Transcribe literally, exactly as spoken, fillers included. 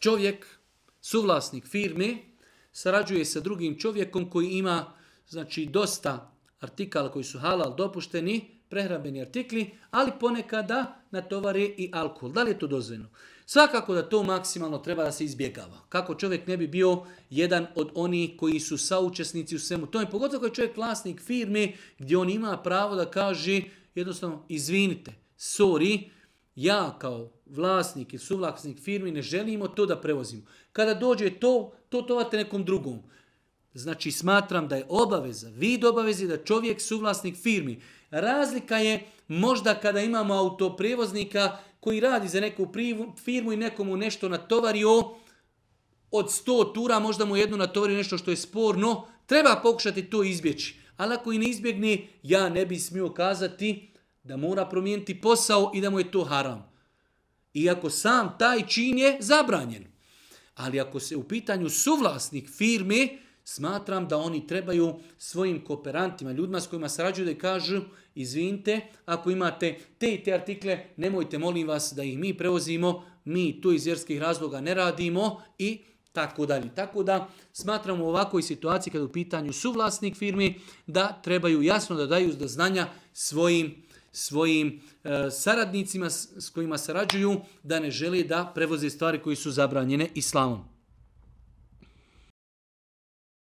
čovjek, suvlasnik firme, sarađuje sa drugim čovjekom koji ima znači dosta artikala koji su halal dopušteni, prehrambeni artikli, ali ponekada natovare i alkohol. Da li je to dozvoljeno? Svakako da to maksimalno treba da se izbjegava. Kako čovjek ne bi bio jedan od onih koji su saučesnici u svemu tome, pogotovo ako je čovjek vlasnik firme gdje on ima pravo da kaže jednostavno izvinite, sorry, ja kao vlasnik i suvlasnik firmi ne želimo to da prevozimo. Kada dođe to, to tovate nekom drugom. Znači smatram da je obaveza, vid obavezi da čovjek suvlasnik firmi. Razlika je možda kada imamo autoprijevoznika koji radi za neku firmu i nekomu nešto natovario od sto tura, možda mu jednu natovario nešto što je sporno, treba pokušati to izbjeći. Ali ako i ne izbjegne, ja ne bi smio kazati da mora promijeniti posao i da mu je to haram. Iako sam taj čin je zabranjen. Ali ako se u pitanju suvlasnik firme, smatram da oni trebaju svojim kooperantima, ljudima s kojima sarađuju da kažu izvinite, ako imate te i te artikle, nemojte molim vas da ih mi prevozimo, mi tu iz vjerskih razloga ne radimo i tako dalje. Tako da smatramo u ovakvoj situaciji kada u pitanju suvlasnik firmi da trebaju jasno da daju do znanja svojim svojim e, saradnicima s, s kojima sarađuju da ne žele da prevoze stvari koji su zabranjene islamom.